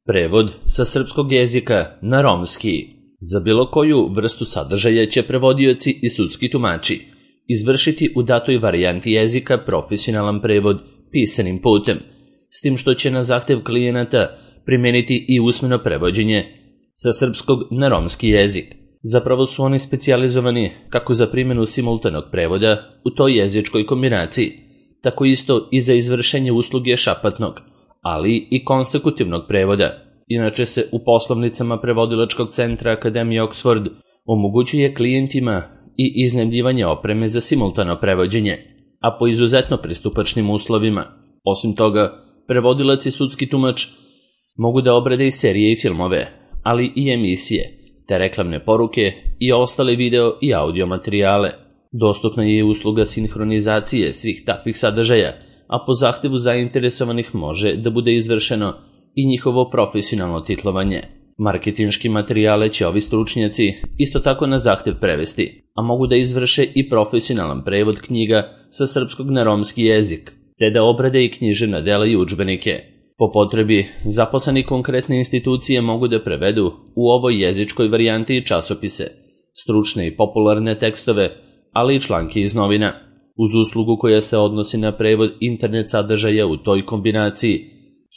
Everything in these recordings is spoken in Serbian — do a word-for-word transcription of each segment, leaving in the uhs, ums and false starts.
Prevod sa srpskog jezika na romski. Za bilo koju vrstu sadržaja će prevodioci i sudski tumači izvršiti u datoj varijanti jezika profesionalan prevod pisanim putem, s tim što će na zahtev klijenata primeniti i usmeno prevođenje sa srpskog na romski jezik. Zapravo su oni specijalizovani kako za primjenu simultanog prevoda u toj jezičkoj kombinaciji, tako isto i za izvršenje usluge šapatnog, ali i konsekutivnog prevoda. Inače se u poslovnicama prevodilačkog centra Akademije Oxford omogućuje klijentima i iznajmljivanje opreme za simultano prevođenje, a po izuzetno pristupačnim uslovima. Osim toga, prevodilac i sudski tumač mogu da obrade i serije i filmove, ali i emisije, te reklamne poruke i ostale video i audio materijale. Dostupna je i usluga sinhronizacije svih takvih sadržaja, a po zahtevu zainteresovanih može da bude izvršeno i njihovo profesionalno titlovanje. Marketinški materijale će ovi stručnjaci isto tako na zahtev prevesti, a mogu da izvrše i profesionalan prevod knjiga sa srpskog na romski jezik, te da obrade i književna dela i udžbenike. Po potrebi, zaposleni konkretne institucije mogu da prevedu u ovoj jezičkoj varijanti i časopise, stručne i popularne tekstove, ali i članke iz novina. Uz uslugu koja se odnosi na prevod internet sadržaja u toj kombinaciji,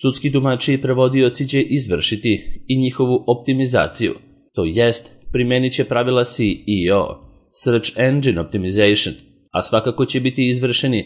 sudski tumači i prevodioci će izvršiti i njihovu optimizaciju, to jest primenit će pravila S E O, Search Engine Optimization, a svakako će biti izvršeni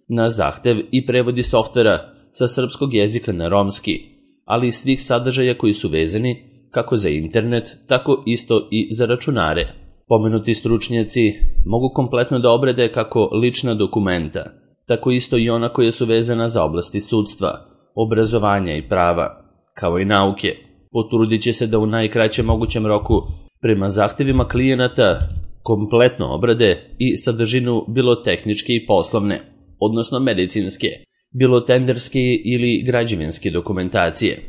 na zahtev i prevodi softvera sa srpskog jezika na romski, ali i svih sadržaja koji su vezani kako za internet, tako isto i za računare. Pomenuti stručnjaci mogu kompletno da obrade kako lična dokumenta, tako isto i ona koja su vezana za oblasti sudstva, obrazovanja i prava, kao i nauke. Potrudit će se da u najkraćem mogućem roku prema zahtevima klijenata kompletno obrade i sadržinu bilo tehničke i poslovne, odnosno medicinske, bilo tenderske ili građevinske dokumentacije.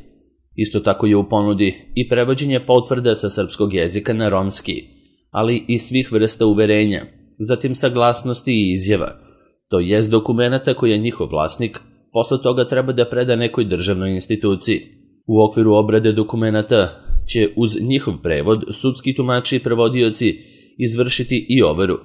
Isto tako je u ponudi i prevođenje potvrda sa srpskog jezika na romski, ali i svih vrsta uverenja, zatim saglasnosti i izjava, to jest dokumenata koje njihov vlasnik posle toga treba da preda nekoj državnoj instituciji. U okviru obrade dokumenata će uz njihov prevod sudski tumači i prevodioci izvršiti i overu,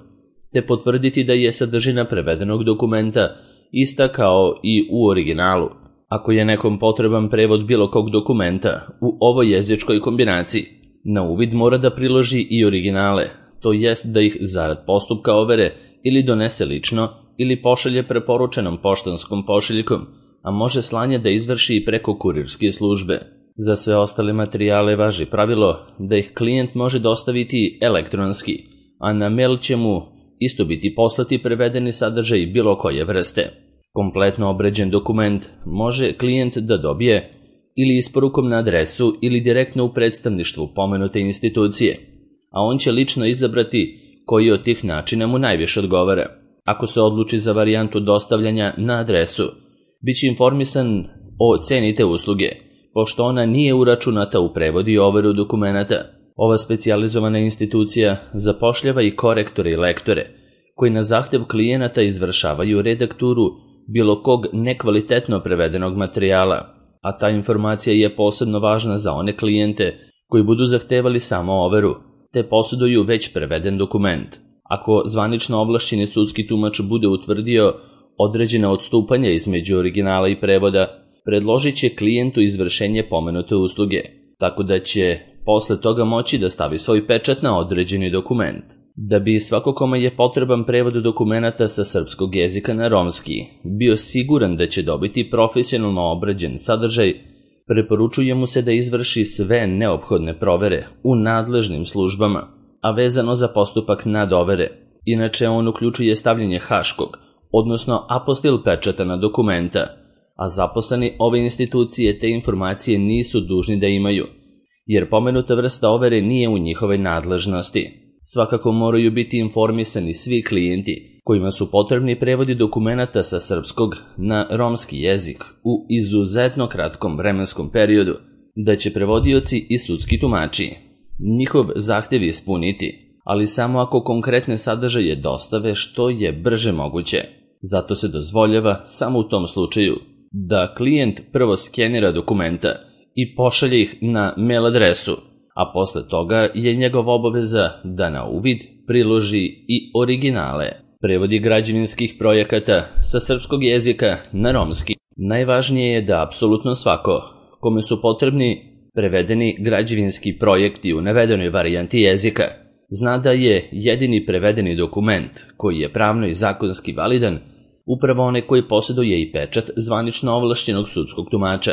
te potvrditi da je sadržina prevedenog dokumenta ista kao i u originalu. Ako je nekom potreban prevod bilo kog dokumenta u ovoj jezičkoj kombinaciji, na uvid mora da priloži i originale, to jest da ih zarad postupka overe ili donese lično ili pošalje preporučenom poštanskom pošiljkom, a može slanje da izvrši i preko kurirske službe. Za sve ostale materijale važi pravilo da ih klijent može dostaviti elektronski, a na mail će mu isto biti poslati prevedeni sadržaj bilo koje vrste. Kompletno obrađen dokument može klijent da dobije ili isporukom na adresu ili direktno u predstavništvu pomenute institucije, a on će lično izabrati koji od tih načina mu najviše odgovara. Ako se odluči za varijantu dostavljanja na adresu, bit će informisan o ceni te usluge, pošto ona nije uračunata u prevod i overu dokumenata. Ova specijalizovana institucija zapošljava i korektore i lektore, koji na zahtev klijenata izvršavaju redakturu bilo kog nekvalitetno prevedenog materijala, a ta informacija je posebno važna za one klijente koji budu zahtevali samo overu, te posjeduju već preveden dokument. Ako zvanično ovlašćeni sudski tumač bude utvrdio određena odstupanja između originala i prevoda, predložit će klijentu izvršenje pomenute usluge, tako da će posle toga moći da stavi svoj pečat na određeni dokument. Da bi svako kome je potreban prevod dokumenata sa srpskog jezika na romski bio siguran da će dobiti profesionalno obrađen sadržaj, preporučuje mu se da izvrši sve neophodne provere u nadležnim službama, a vezano za postupak nadovere. Inače, on uključuje stavljanje haškog, odnosno apostil pečata na dokumenta, a zaposleni ove institucije te informacije nisu dužni da imaju, jer pomenuta vrsta overe nije u njihovoj nadležnosti. Svakako moraju biti informisani svi klijenti kojima su potrebni prevodi dokumenata sa srpskog na romski jezik u izuzetno kratkom vremenskom periodu, da će prevodioci i sudski tumači njihov zahtev ispuniti, ali samo ako konkretne sadržaje dostave što je brže moguće. Zato se dozvoljava samo u tom slučaju da klijent prvo skenira dokumenta i pošalje ih na mail adresu, a posle toga je njegova obaveza da na uvid priloži i originale. Prevodi građevinskih projekata sa srpskog jezika na romski. Najvažnije je da apsolutno svako kome su potrebni prevedeni građevinski projekti u navedenoj varijanti jezika zna da je jedini prevedeni dokument koji je pravno i zakonski validan upravo onaj koji posjeduje i pečat zvanično ovlašćenog sudskog tumača,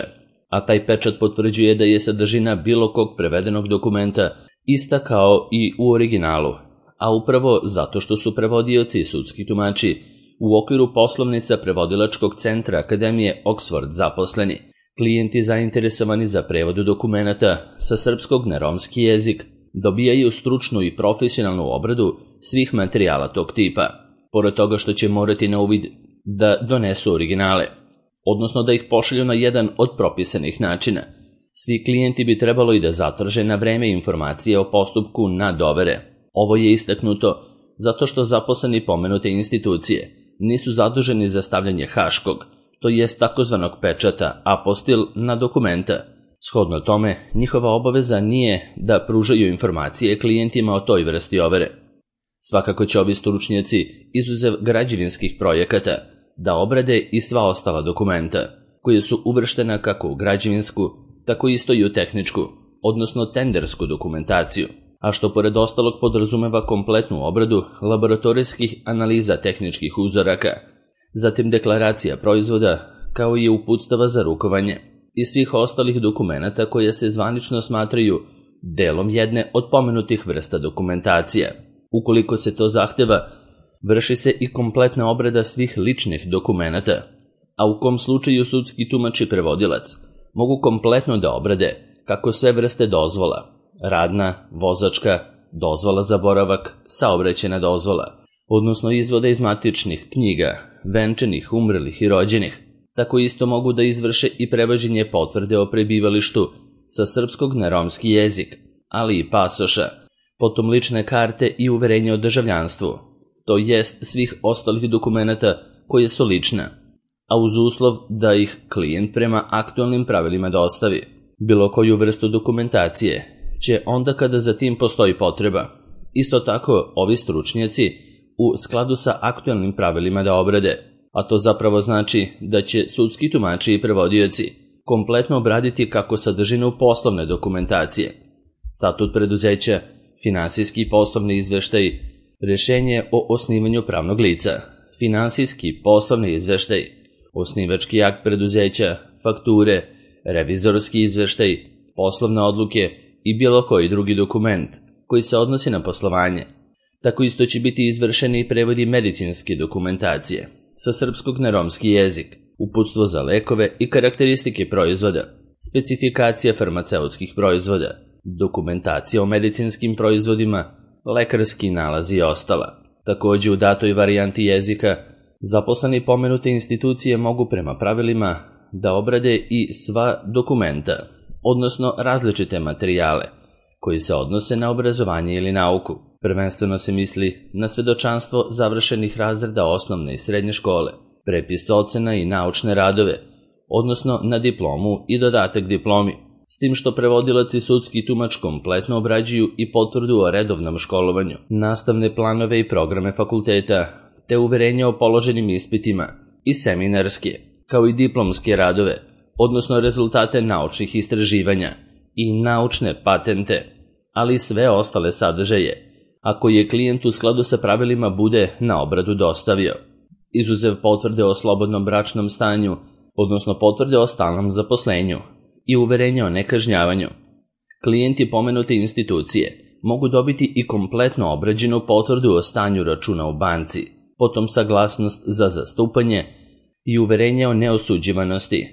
a taj pečat potvrđuje da je sadržina bilo kog prevedenog dokumenta ista kao i u originalu, a upravo zato što su prevodioci i sudski tumači u okviru poslovnica Prevodilačkog centra Akademije Oxford zaposleni, klijenti zainteresovani za prevod dokumenata sa srpskog na romski jezik dobijaju stručnu i profesionalnu obradu svih materijala tog tipa, pored toga što će morati na uvid da donesu originale, odnosno da ih pošalju na jedan od propisanih načina. Svi klijenti bi trebalo i da zatraže na vreme informacije o postupku na dovere. Ovo je istaknuto zato što zaposleni pomenute institucije nisu zaduženi za stavljanje haškog, to jest takozvanog pečata apostil na dokumenta. Shodno tome, njihova obaveza nije da pružaju informacije klijentima o toj vrsti overe. Svakako će ovi stručnjaci, izuzev građevinskih projekata, da obrade i sva ostala dokumenta, koje su uvrštena kako u građevinsku, tako isto i u tehničku, odnosno tendersku dokumentaciju, a što pored ostalog podrazumeva kompletnu obradu laboratorijskih analiza tehničkih uzoraka, zatim deklaracija proizvoda, kao i uputstava za rukovanje i svih ostalih dokumenata koje se zvanično smatraju delom jedne od pomenutih vrsta dokumentacija. Ukoliko se to zahteva, vrši se i kompletna obrada svih ličnih dokumenata, a u kom slučaju sudski tumač i prevodilac mogu kompletno da obrade kako sve vrste dozvola, radna, vozačka, dozvola za boravak, saobraćajna dozvola, odnosno izvode iz matičnih knjiga, venčanih, umrlih i rođenih. Tako isto mogu da izvrše i prevođenje potvrde o prebivalištu sa srpskog na romski jezik, ali i pasoša, potom lične karte i uverenje o državljanstvu, to jest svih ostalih dokumenata koje su lična, a uz uslov da ih klijent prema aktualnim pravilima dostavi. Bilo koju vrstu dokumentacije će onda kada za tim postoji potreba. Isto tako ovi stručnjaci u skladu sa aktualnim pravilima da obrade, a to zapravo znači da će sudski tumači i prevodioci kompletno obraditi kako sadržinu poslovne dokumentacije, statut preduzeća, finansijski i poslovni izveštaj, rešenje o osnivanju pravnog lica, finansijski poslovni izveštaj, osnivački akt preduzeća, fakture, revizorski izveštaj, poslovne odluke i bilo koji drugi dokument koji se odnosi na poslovanje. Tako isto će biti izvršeni i prevodi medicinske dokumentacije sa srpskog na romski jezik, uputstvo za lekove i karakteristike proizvoda, specifikacija farmaceutskih proizvoda, dokumentacija o medicinskim proizvodima, lekarski nalazi i ostala. Takođe u datoj varijanti jezika zaposleni pomenute institucije mogu prema pravilima da obrade i sva dokumenta, odnosno različite materijale koji se odnose na obrazovanje ili nauku. Prvenstveno se misli na svedočanstvo završenih razreda osnovne i srednje škole, prepis ocena i naučne radove, odnosno na diplomu i dodatak diplomi, s tim što prevodilac i sudski tumač kompletno obrađuju i potvrdu o redovnom školovanju, nastavne planove i programe fakulteta, te uverenje o položenim ispitima i seminarske, kao i diplomske radove, odnosno rezultate naučnih istraživanja i naučne patente, ali i sve ostale sadržaje, ako je klijent u skladu sa pravilima bude na obradu dostavio, izuzev potvrde o slobodnom bračnom stanju, odnosno potvrde o stalnom zaposlenju i uverenje o nekažnjavanju. Klijenti pomenute institucije mogu dobiti i kompletno obrađenu potvrdu o stanju računa u banci, potom saglasnost za zastupanje i uverenje o neosuđivanosti,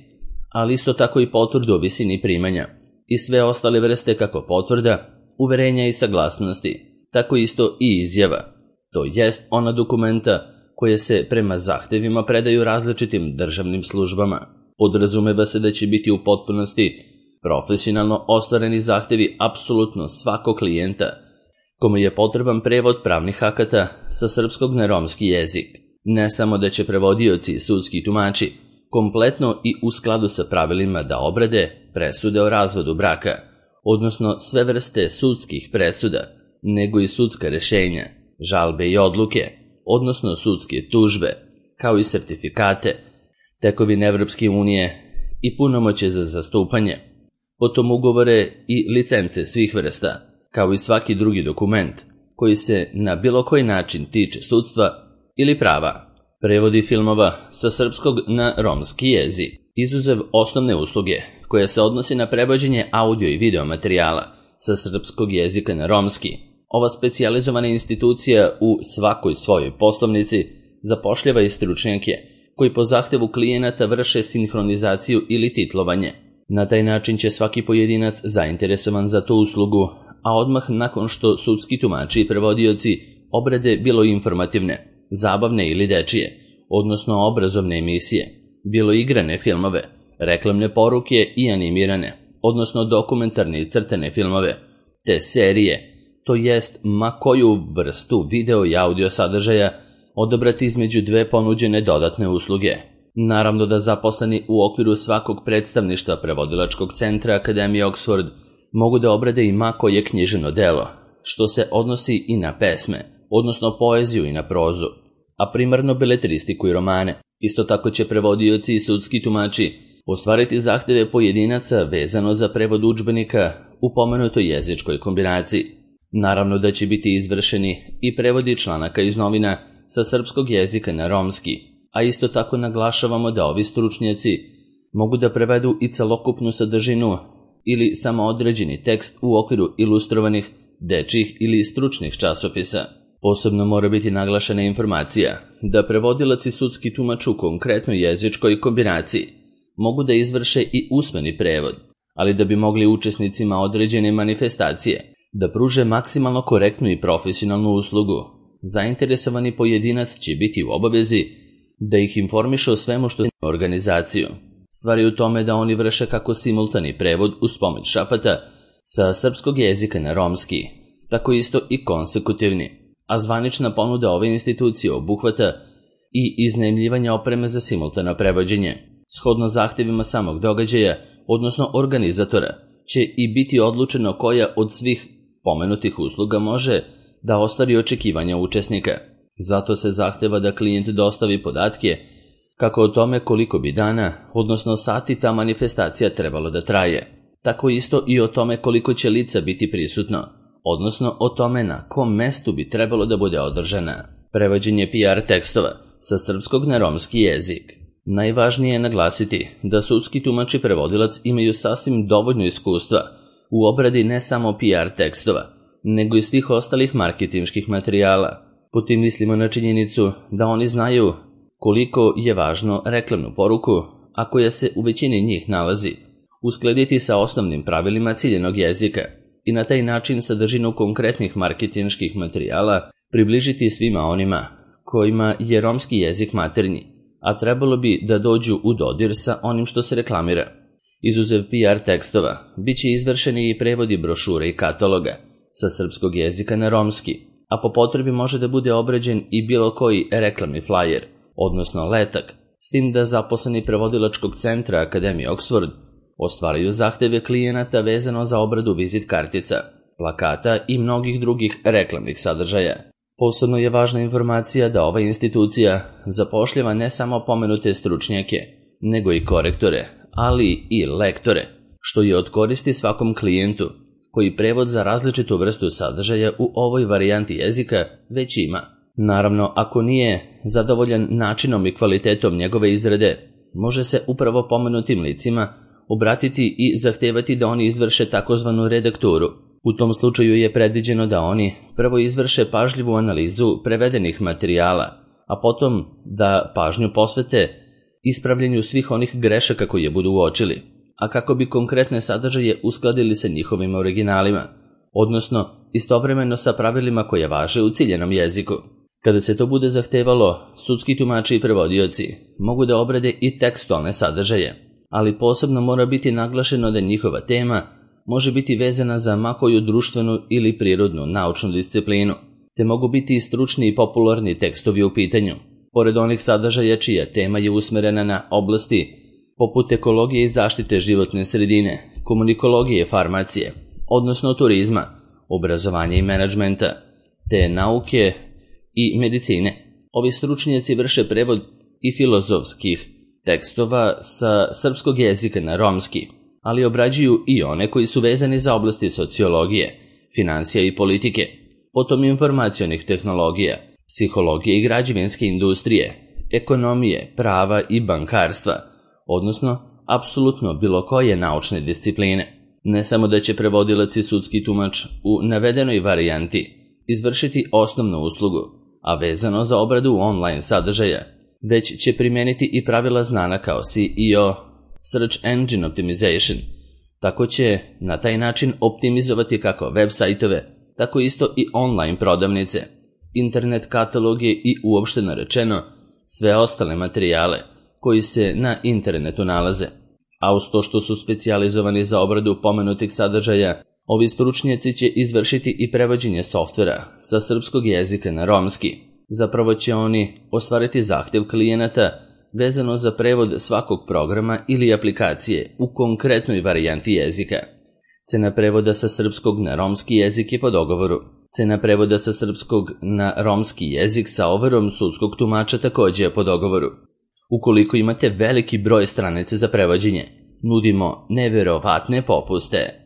ali isto tako i potvrdu o visini primanja i sve ostale vrste kako potvrda, uverenja i saglasnosti, tako isto i izjava, to jest ona dokumenta koje se prema zahtevima predaju različitim državnim službama. Podrazumeva se da će biti u potpunosti profesionalno ostvareni zahtevi apsolutno svakog klijenta kome je potreban prevod pravnih akata sa srpskog na romski jezik. Ne samo da će prevodioci i sudski tumači kompletno i u skladu sa pravilima da obrade, presude o razvodu braka, odnosno sve vrste sudskih presuda, nego i sudska rešenja, žalbe i odluke, odnosno sudske tužbe, kao i sertifikate, tekovine Evropske unije i punomoćje za zastupanje, potom ugovore i licence svih vrsta, kao i svaki drugi dokument koji se na bilo koji način tiče sudstva ili prava. Prevodi filmova sa srpskog na romski jezik, izuzev osnovne usluge koja se odnosi na prevođenje audio i video materijala sa srpskog jezika na romski. Ova specijalizovana institucija u svakoj svojoj poslovnici zapošljava i stručnjake koji po zahtevu klijenata vrše sinhronizaciju ili titlovanje. Na taj način će svaki pojedinac zainteresovan za tu uslugu, a odmah nakon što sudski tumači i prevodioci obrade bilo informativne, zabavne ili dečije, odnosno obrazovne emisije, bilo igrane filmove, reklamne poruke i animirane, odnosno dokumentarne i crtane filmove, te serije, to jest ma koju vrstu video i audio sadržaja odabrati između dve ponuđene dodatne usluge. Naravno da zaposleni u okviru svakog predstavništva prevodilačkog centra Akademije Oxford mogu da obrade i ma koje književno delo, što se odnosi i na pesme, odnosno poeziju i na prozu, a primarno beletristiku i romane. Isto tako će prevodioci i sudski tumači ostvariti zahteve pojedinaca vezano za prevod udžbenika u pomenutoj jezičkoj kombinaciji. Naravno da će biti izvršeni i prevodi članaka iz novina sa srpskog jezika na romski, a isto tako naglašavamo da ovi stručnjaci mogu da prevedu i celokupnu sadržinu ili samo određeni tekst u okviru ilustrovanih, dečjih ili stručnih časopisa. Posebno mora biti naglašena informacija da prevodilac i sudski tumač u konkretnoj jezičkoj kombinaciji mogu da izvrše i usmeni prevod, ali da bi mogli učesnicima određene manifestacije da pruže maksimalno korektnu i profesionalnu uslugu, zainteresovani pojedinac će biti u obavezi da ih informiše o svemu što je organizaciju. Stvar je u tome da oni vrše kako simultani prevod uz pomoć šapata sa srpskog jezika na romski, tako isto i konsekutivni, a zvanična ponuda ove institucije obuhvata i iznajmljivanje opreme za simultano prevođenje. Shodno zahtevima samog događaja, odnosno organizatora, će i biti odlučeno koja od svih pomenutih usluga može da ostvari očekivanja učesnika. Zato se zahteva da klijent dostavi podatke kako o tome koliko bi dana, odnosno sati ta manifestacija trebalo da traje, tako isto i o tome koliko će lica biti prisutno, odnosno o tome na kom mestu bi trebalo da bude održana. Prevođenje P R tekstova sa srpskog na romski jezik. Najvažnije je naglasiti da sudski tumač i prevodilac imaju sasvim dovoljno iskustva u obradi ne samo P R tekstova, nego i svih ostalih marketinških materijala. Po tim mislimo na činjenicu da oni znaju koliko je važno reklamnu poruku, a koja se u većini njih nalazi, uskladiti sa osnovnim pravilima ciljenog jezika i na taj način sadržinu konkretnih marketinških materijala približiti svima onima kojima je romski jezik maternji, a trebalo bi da dođu u dodir sa onim što se reklamira. Izuzev P R tekstova, bit će izvršeni i prevodi brošure i kataloga sa srpskog jezika na romski, a po potrebi može da bude obrađen i bilo koji reklamni flajer, odnosno letak, s tim da zaposleni prevodilačkog centra Akademije Oxford ostvaraju zahteve klijenata vezano za obradu vizit kartica, plakata i mnogih drugih reklamnih sadržaja. Posebno je važna informacija da ova institucija zapošljava ne samo pomenute stručnjake, nego i korektore, ali i lektore, što je od koristi svakom klijentu koji prevod za različitu vrstu sadržaja u ovoj varijanti jezika već ima. Naravno, ako nije zadovoljan načinom i kvalitetom njegove izrade, može se upravo pomenutim licima obratiti i zahtevati da oni izvrše takozvanu redakturu. U tom slučaju je predviđeno da oni prvo izvrše pažljivu analizu prevedenih materijala, a potom da pažnju posvete ispravljanju svih onih grešaka koje budu uočili, a kako bi konkretne sadržaje uskladili sa njihovim originalima, odnosno istovremeno sa pravilima koje važe u ciljenom jeziku. Kada se to bude zahtevalo, sudski tumači i prevodioci mogu da obrade i tekstualne sadržaje, ali posebno mora biti naglašeno da njihova tema može biti vezana za ma koju društvenu ili prirodnu naučnu disciplinu, te mogu biti i stručni i popularni tekstovi u pitanju, pored onih sadržaja čija tema je usmerena na oblasti poput ekologije i zaštite životne sredine, komunikologije, farmacije, odnosno turizma, obrazovanja i menadžmenta, te nauke i medicine. Ovi stručnjaci vrše prevod i filozofskih tekstova sa srpskog jezika na romski, ali obrađuju i one koji su vezani za oblasti sociologije, finansija i politike, potom informacionih tehnologija, psihologije i građevinske industrije, ekonomije, prava i bankarstva, odnosno apsolutno bilo koje naučne discipline. Ne samo da će prevodilac i sudski tumač u navedenoj varijanti izvršiti osnovnu uslugu, a vezano za obradu online sadržaja, već će primeniti i pravila znana kao S E O, Search Engine Optimization. Tako će na taj način optimizovati kako web sajtove, tako isto i online prodavnice, internet kataloge i uopšteno rečeno sve ostale materijale koji se na internetu nalaze. A uz to što su specijalizovani za obradu pomenutih sadržaja, ovi stručnjaci će izvršiti i prevođenje softvera sa srpskog jezika na romski. Zapravo će oni ostvariti zahtev klijenata vezano za prevod svakog programa ili aplikacije u konkretnoj varijanti jezika. Cena prevoda sa srpskog na romski jezik je po dogovoru. Cena prevoda sa srpskog na romski jezik sa overom sudskog tumača takođe je po dogovoru. Ukoliko imate veliki broj stranice za prevođenje, nudimo neverovatne popuste.